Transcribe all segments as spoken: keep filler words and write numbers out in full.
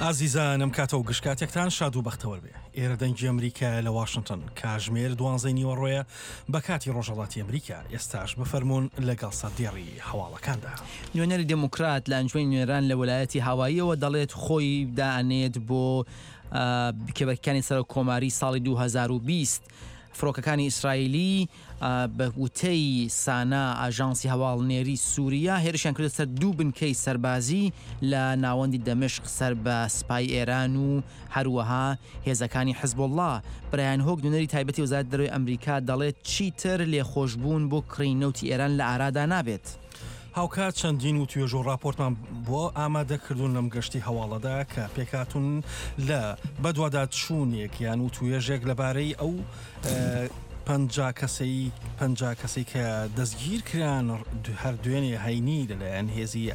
ئازیزانم، کاتە و گشت کاتێکتان شاد و بەختەوەر بێ. ئێرە دەنگی ئەمریکایە لە واشنگتن، کاژمێر دوانزەی نیوەڕۆیە بە کاتی ڕۆژهەڵاتی ئەمریکا. ئێستاش بفەرموون لەگەڵ سەردێڕی هەواڵەکاندا. نوێنەری دێموکرات لە ئەنجومەنی نوێنەران لە وەلایەتی هاواییەوە دەڵێت خۆی دائەنێت بۆ کێبەرکانی سەرۆک کۆماری ساڵی دوو هەزار و بیست. فڕۆکەکانی ئیسرائیلی بە وتەی سانا، ئاژانسی هەواڵنێری سووریا، هێرشیان کردە سەر دوو بنکەی سەربازی لە ناوەندی دەمشق سەر بە سپای ئێران و هەروەها هێزەکانی حزبوڵڵا. برایان هۆک، نوێنەری تایبەتی وەزارەتی دەرەوەی ئەمریکا، دەڵێت چیتر لێخۆشبوون بۆ کڕی نەوتی ئێران لە ئارادا نابێت. هاوکات چەندین و توێژ و راپۆرتمان بۆ ئامادەکردوون لەم گەشتی هەواڵەدا کە پێکهاتوون لە بەدواداچوونێک یان و توێژێک لەبارەی ئەو پەنجا کەسەی پەنجا کەسەی کە دەستگیر کران هەر دوێنێ هەینی لەلایەن هێزی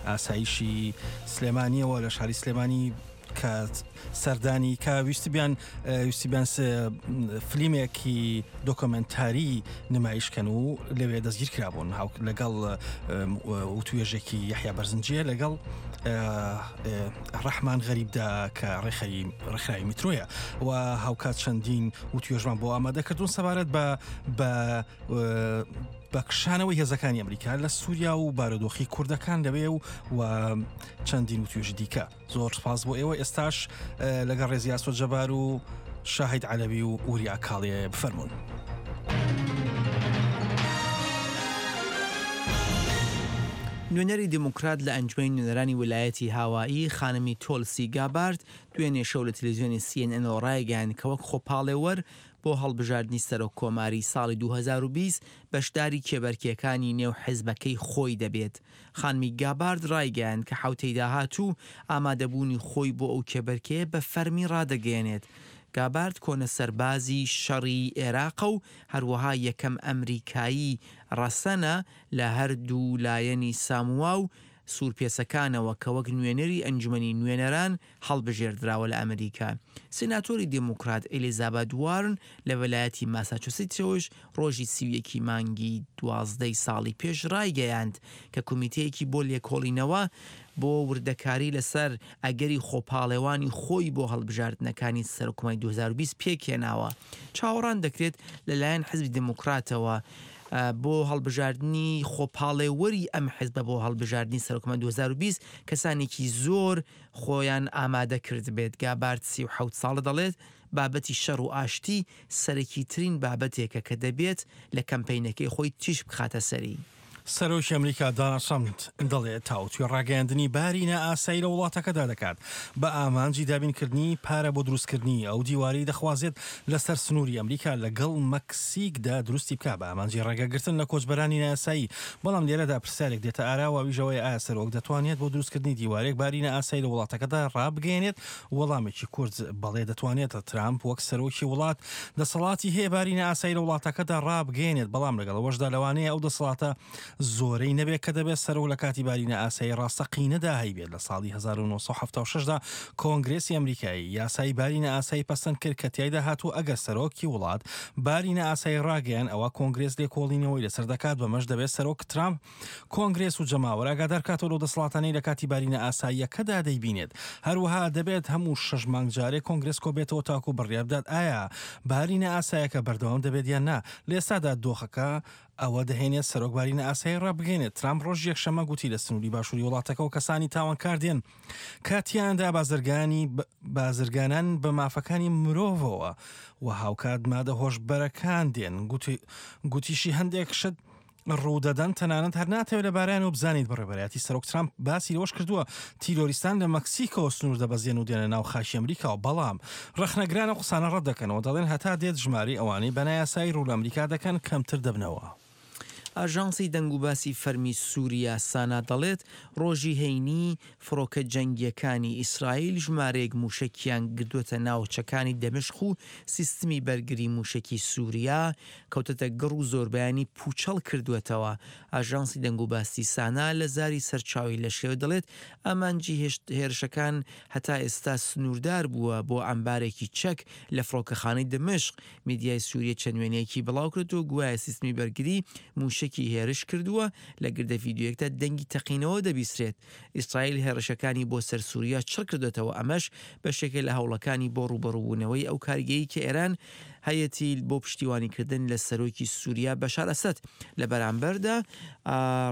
ئاسایشی سلێمانیەوە لە شاری سلێمانی، کە سەردانی کە ویستبیان ویستبیان فلیمێکی دۆکۆمنتاری نمایشکەن و لەوێ دەستگیر کرابوون، هاو لەگەڵ وتوێژێکی یەحیا بەرزنجیە لەگەڵ ڕەحمان غەریبدا کە ڕێکخەری ڕێکخراوی میترۆیە، و هاوکات چەندین وتوێژمان بۆ ئامادەکردوون سەبارەت بە بە بە کشانەوەی هێزەکانی ئەمریکا لە سووریا و بارودۆخی کوردەکان لەوێ و و چەندین وتوێژی دیکە. زۆر سپاس بۆ ئێوە. ئێستاش لەگەڵ ڕێزی ئاسۆ جەبار و شاهید عەلەوی و وریا کاڵێ بفەرمونون. نوێنەری دێموکرات لە ئەنجومەنی نوێنەرانی ویلایەتی هاوایی، خانمی تۆلسی گابارد، دوێنێ شەو لە تەلەڤیزیۆنی C N N ڕایگەیاند کە وەک خۆپاڵێوەر بۆ هەڵبژاردنی سەرۆک کۆماری ساڵی دوو هەزار و بیست بەشداری کێبەرکێکانی نێو حزبەکەی خۆی دەبێت. خانمی گابارد ڕایگەیاند کە حوتەی داهاتوو ئامادەبوونی خۆی بۆ ئەو کێبەرکێ بە فەرمی ڕادەگەیەنێت. گابارد کۆنە سەربازی شەڕی عێراقە و هەروەها یەکەم ئەمریکایی ڕەسەنە لە هەردوو لایەنی ساموا و سوورپێسەکانەوە کە وەک نوێنەری ئەنجومەنی نوێنەران هەڵبژێردراوە لە ئەمریکا. سیناتۆری دێموکرات ئەلیزابێت وارن لە ویلایەتی ماساچوسیتسەوەش ڕۆژی سی و یەکی مانگی دوازدەی ساڵی پێش ڕایگەیاند کە کۆمیتەیەکی بۆ لێکۆڵینەوە بۆ وردەکاری لەسەر ئەگەری خۆپاڵێوانی خۆی بۆ هەڵبژاردنەکانی سەرۆککۆماری دوو هەزار و بیست پێکهێناوە. چاوەڕان دەکرێت لەلایەن حزبی دێموکراتەوە بۆ هەڵبژاردنی خۆپاڵێوەری ئەم حزبە بۆ هەڵبژاردنی سەرۆککۆماری دوو هەزار و بیست کەسانێکی زۆر خۆیان ئامادە کرد بێت. گابارد سی و حەوت ساڵە، دەڵێت بابەتی شەڕ و ئاشتی سەرەکیترین بابەتێکە کە دەبێت لە کەمپینەکەی خۆی تیشک بخاتە سەری. سەرۆکی ئەمریکا دۆناڵد ترەمپ دەڵێت تاوتوێ ڕاگەیاندنی باری نائاسایی لە وڵاتەکەدا دەکات بە ئامانجی دابینکردنی پارە بۆ دروستکردنی ئەو دیواری دەخوازێت لەسەر سنووری ئەمریکا لەگەڵ مەکسیکدا دروستی بکە بە ئامانجی ڕێگەگرتن لە کۆچبەرانی نایاسایی. بەڵام لێرەدا پرسیارێک دێتە ئاراوە، ئەویش ئەوەیە ئایا سەرۆک دەتوانێت بۆ دروستکردنی دیوارێک باری نائاسایی لە وڵاتەکەدا ڕابگەیەنێت؟ وەڵامێکی کورت، بەڵێ دەتوانێت. ترامپ وەک سەرۆکی وڵات دەسەڵاتی هەیە باری نائاسایی لە وڵاتەکەدا ڕابگەیەنێت، بەڵام لەگەڵ ئەوەشدا لەوانەیە ئەو دەسەڵاتە زۆرەی نەبێت کە دەبێت سەرۆک لە کاتی باری نائاسایی ڕاستەقینەدا هەیبێت. لە ساڵی هەزار و نۆ سەد و حەفتا و شەش دا کۆنگرێسی ئەمریکایی یاسای باری نائاسایی پەسەند کرد کە تیایدا هاتوو ئەگەر سەرۆکی وڵات باری نائاسایی ڕاگەیان، ئەوە کۆنگرێس لێکۆڵینەوەی لەسەر دەکات. بەمەش دەبێت سەرۆک ترامپ کۆنگرێس و جەماوەر ئاگادار کاتەوە لەو دەسەڵاتانەی لە کاتی باری نائاساییەکەدا دەیبینێت. هەروەها دەبێت هەموو شەش مانگ جارێک کۆنگرێس کۆبێتەوە تاکو بڕیار بدات ئایا باری نائاسایەکە بەردەوام دەبێت یان نا. لە ئێستادا دۆخەکە ئەوە دەهێنێت سەرۆک باری نائاسایی ڕابگەیەنێت. ترامپ ڕۆژ یەکشەممە گوتی لە سنووری باشووری وڵاتەکەەوە کەسانی تاوانکار دێن کە تیایاندا بازرگانی بازرگانان بە مافەکانی مرۆڤەوە و هاوکات مادە هۆشبەرەکان دێن. گوتیشی هەندێک شت ڕوودەدەن تەنانەت هەر ناتەوێت لەبارەیان و بزانیت. بەڕێوەبەرایەتی سەرۆک ترامپ باسی لەوەش کردووە تیرۆریستان لە مەکسیکۆ سنوور دەبەزێن و دێنە ناو خاکی ئەمریکاوە، بەڵام ڕەخنەگران ئەو قسانە ڕەت دەکەنەوە، دەڵێن هەتا دێت ژمارەی ئەوانەی بە نایاسایی ڕوو لە ئەمریکا دەکەن کەمتر دەبنەوە. ئاژانسی دەنگوباسی فەرمی سووریا سانا دەڵێت ڕۆژی هەینی فڕۆکە جەنگیەکانی ئیسرائیل ژمارەیەک موشەکیان گردووەتە ناوچەکانی دەمشق و سیستمی بەرگری موشەکی سووریا کەوتەتە گەڕ و زۆربیانی پوچەڵ کردووەتەوە. ئاژانسی دەنگوباسی سانا لە زاری سەرچاوی لەشکرەوە دەڵێت ئامانجی هێرشەکان هەتا ئێستا سنووردار بووە بۆ ئەمبارێکی چەک لە فڕۆکەخانەی دەمشق. میدیای سووریە چەند وێنەیەکی بڵاو کردەوە گوایە سیستمی بەرگری موشەکی مووشەکی هێرش کردووە، لە گردە ڤیدیۆیەکدا دەنگی تەقینەوە دەبیسترێت. ئیسرائیل هێڕشەکانی بۆ سەر سووریا چڕ کردۆتەوە، ئەمەش بەشێکە لە هەوڵەکانی بۆ ڕووبەڕووبوونەوەی ئەو کاریگەریی کە ئێران هەیەتی بۆ پشتیوانیکردن لە سەرۆکی سووریا بەشار ئەسەد. لە بەرامبەردا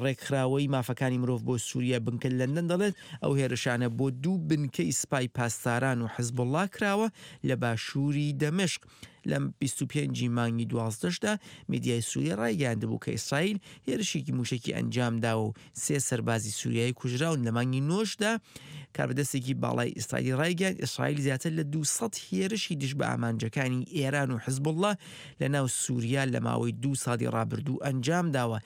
ڕێکخراوەی مافەکانی مرۆڤ بۆ سووریا بنکە لەندەن دەڵێت ئەو هێرشانە بۆ دوو بنکەی سپای پاسداران و حزبوڵڵا کراوە لە باشووری دەمشق. لە بیست و پێنج ی مانگی دوازدەشدا میدیای سووریا ڕایگەیاندبوو کە ئیسرائیل هێرشێکی مووشەکی ئەنجامداوە و سێ سەربازی سووریایی کوژراون. لە مانگی نۆشدا کاربەدەستێکی باڵای ئیسرائیلی ڕایگەیاند ئیسرائیل زیاتر لە دوو سەد هێرشی دژ بە ئامانجەکانی ئێران و حزبوڵڵا لە ناو سووریا لە ماوەی دوو ساڵی ڕابردوو ئەنجامداوە.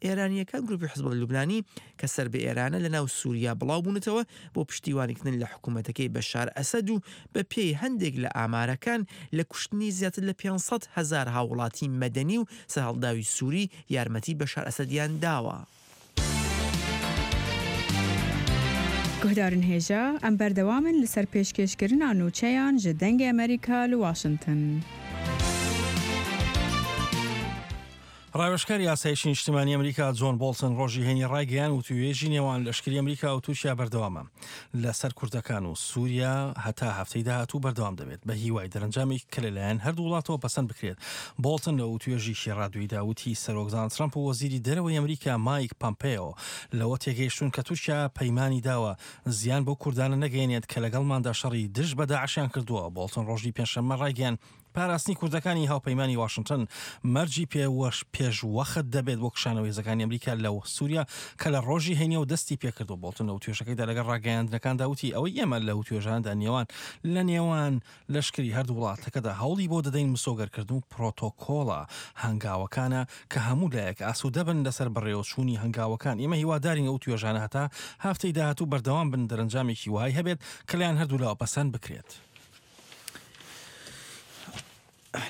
ئێرانییەکان گروپی حزبوڵڵای لوبنانی کە سەر بە ئێرانە لە ناو سووریا بڵاو بوونەتەوە بۆ پشتیوانیکردن لە حکوومەتەکەی بەشار ئەسەد و بە پێی هەندێک لە ئامارەکان لە کوشتنی زیاتر لە پێنج سەد هەزار هاووڵاتی مەدەنی و سەرهەڵداوی سووری یارمەتی بەشار ئەسەدیان داوە. Guhdarên hêja, em berdewam in li ser pêşkêşkirina nûçeyan ji Dengê Amerîka li Washington. ڕاوێژکاری ئاسایشی نیشتمانی ئەمریکا جۆن بۆڵتن ڕۆژی هەینی ڕایگەیاند وتوێژی نێوان لەشکری ئەمریکا و تورکیا بەردەوامە لەسەر کوردەکان و سووریا هەتا هەفتەی داهاتوو بەردەوام دەبێت بە هیوای دەرەنجامێک کە لەلایەن هەردوو وڵاتەوە پەسەند بکرێت. بۆڵتن لە وتوێژێکی ڕادیۆییدا وتی سەرۆک دۆناڵد ترەمپ و وەزیری دەرەوەی ئەمریکا مایک پامپێۆ لەوە تێگەیشتون کە تورکیا پەیمانی داوە زیان بۆ کوردانە نەگەیەنێت کە لەگەڵماندا شەڕی دژ بە داعشیان کردووە. بۆڵتن ڕۆژی پێنجشەممە ڕایگەیاند پاراستنی کوردەکانی هاوپەیمانی واشنگتن مەرجی پێوەش پێشوەخت دەبێت بۆ کشانەوەی هێزەکانی ئەمریکا لە سووریا کە لە ڕۆژی هەینیەوە دەستی پێکردو. بۆڵتن لە وتوێژەکەیدا لەگەڵ ڕاگەیاندنەکاندا وتی ئەوەی ئێمە لە وتوێژاندا نێوان لە نێوان لەشکری هەردوو وڵاتەکەدا هەوڵی بۆ دەدەین مسۆگەرکردن و پرۆتۆکۆڵە هەنگاوەکانە کە هەموو لایەک ئاسوودە بن لەسەر بەڕێوەچوونی هەنگاوەکان. ئێمە هیوادارین ئەو توێژانە هەتا هەفتەی داهاتوو بەردەوام بن دەرەنجامێکی وهای هەبێت کە لایەن هەردوو لاوە پەسەند بکرێت.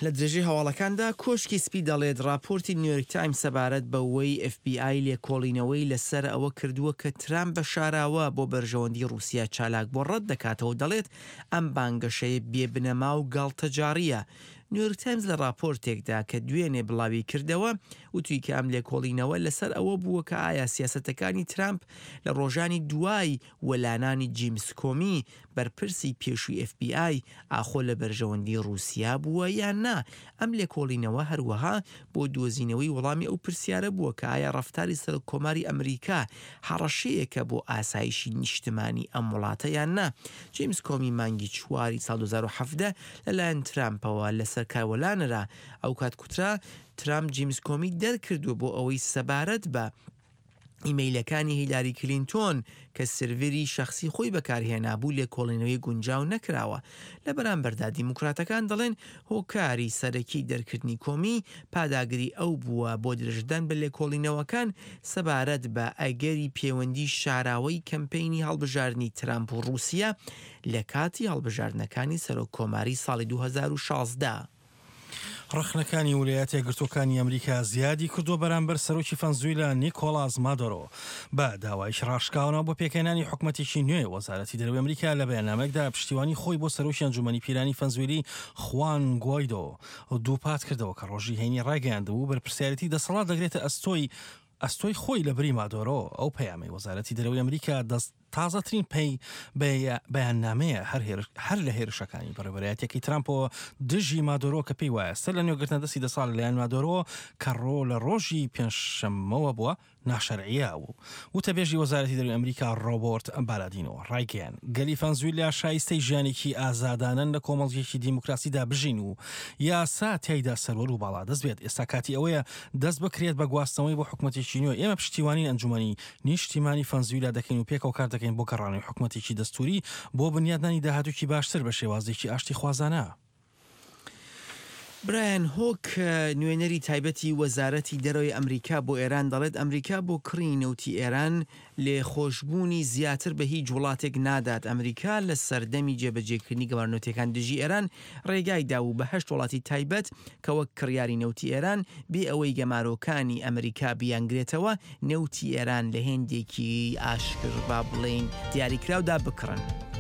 لە درێژەی هەواڵەکاندا کۆشکی سپی دەڵێت راپۆرتی نیویۆرک تایمز سەبارەت بەوەی ئێف بی ئای لێکۆڵینەوەی لەسەر ئەوە کردووە کە ترامپ بە شاراوە بۆ بەرژەوەندی رووسیا چالاک بۆ ڕەت دەکاتەوە، دەڵێت ئەم بانگەشەیە بێبنەما و گاڵتەجاڕیە. نیویۆرک تایمز لە راپۆرتێکدا کە دوێنێ بڵاوی کردەوە وتوی کە ئەم لێکۆڵینەوە لەسەر ئەوە بووە کە ئایا سیاسەتەکانی ترامپ لە ڕۆژانی دوای وەلانانی جیمس کۆمی بەرپرسی پێشووی ئێف بی ئای ئاخۆ لە بەرژەوەندی رووسیا بووە یان نا. ئەم لێکۆڵینەوە هەروەها بۆ دۆزینەوەی وەڵامی ئەو پرسیارە بووە کە ئایا ڕەفتاری سەرۆک کۆماری ئەمریکا هەڕەشەیەکە بۆ ئاسایشی نیشتمانی ئەم وڵاتە یان نا. جیمس کۆمی مانگی چواری ساڵ دوو هەزار و حەڤدە لەلایەن ترامپەوە لەسەر کاروەلانرا. ئەو کات کوترا ترامپ جیمس کۆمی دەرکردووە بۆ ئەوەی سەبارەت بە ئیمەیلەکانی هیلاری کلینتۆن کە سێرڤەری شخصی خۆی بەکارهێنابوو لێکۆڵینەوەی گونجاو نەکراوە. لە بەرامبەردا دیموکراتەکان دەڵێن هۆکاری سەرەکی دەرکردنی کۆمی پاداگری ئەو بووە بۆ درێژدان بە لێکۆڵینەوەکان سەبارەت بە ئەگەری پەیوەندی شاراوەی کەمپەینی هەڵبژاردنی ترامپ و رووسیا لە کاتی هەڵبژاردنەکانی سەرۆک کۆماری ساڵی دوو هەزار و شازدە. ڕەخنەکانی ویلایەتە یەکگرتووەکانی ئەمریکا زیادی کردووە بەرامبەر سەرۆکی فەنزویلا نیکۆلاس مادۆرۆ بە داوایش ڕاشکاونەوە بۆ پێکهێنانی حکومەتێکی نوێ. وەزارەتی دەرەوەی ئەمریکا لە بەیاننامەیەکدا پشتیوانی خۆی بۆ سەرۆکی ئەنجومەنی پیرانی فەنزویلی خوان گوایدۆ دووپات کردەوە کە ڕۆژی هەینی ڕایگەیاندبوو بەرپرسیارێتی دەسەڵات دەگرێتە ئەستۆی ئەستۆی خۆی لە بری مادۆرۆ. ئەو پەیامەی وەزارەتی دەرەوەی ئەمریکا دەست تازەترین پەی بەیاننامەیە هەر لە هێرشەکانی بەڕێوەبەرایەتیەکەی ترامپەوە دژی مادۆرۆ کە پێی وایە سەر لە نوێگرتنە دەستی دەساڵ لەلایەن مادۆرۆ کە ڕۆ لە ڕۆژی پێنجشەممەوە بووە ناشەرعیە بوو. وتەبێژی وەزارەتی دەرەوەی ئەمریکا ڕۆبۆرت بالادینۆ ڕایگەیاند گەلی فەنزویلا شایستەی ژیانێکی ئازادانەن لە کۆمەڵگەیەکی دیموکراسیدا بژین و یاسا تیایدا سەروەر و باڵادەست بێت. ئێستا کاتی ئەوەیە دەست بکرێت بە گواستنەوەی بۆ حکومەتێکی نوێ. ئێمە پشتیوانی ئەنجومەنی نیشتیمانی فەنزویلا دەکەین و پێکەوە کار دەکەین بۆ گەڕانەوەی حکومەتێکی دەستوری بۆ بنیادنانی داهاتوویەکی باشتر بە شێوازێکی ئاشتی خوازانە. برایان هۆک نوێنەری تایبەتی وەزارەتی دەرەوەی ئەمریکا بۆ ئێران دەڵێت ئەمریکا بۆ کڕی نەوتی ئێران لێخۆشببوونی زیاتر بە هیچ وڵاتێک نادات. ئەمریکا لە سەردەمی جێبەجێکردنی گەمارۆ نەوتیەکان دژی ئێران ڕێگای داوو بە هەشت وڵاتی تایبەت کە وەک کڕیاری نەوتی ئێران بێ ئەوەی گەمارۆکانی ئەمریکا بیانگرێتەوە نەوتی ئێران لە هێندێکی ئاشکر با بڵێین دیاریکراودا بکڕن.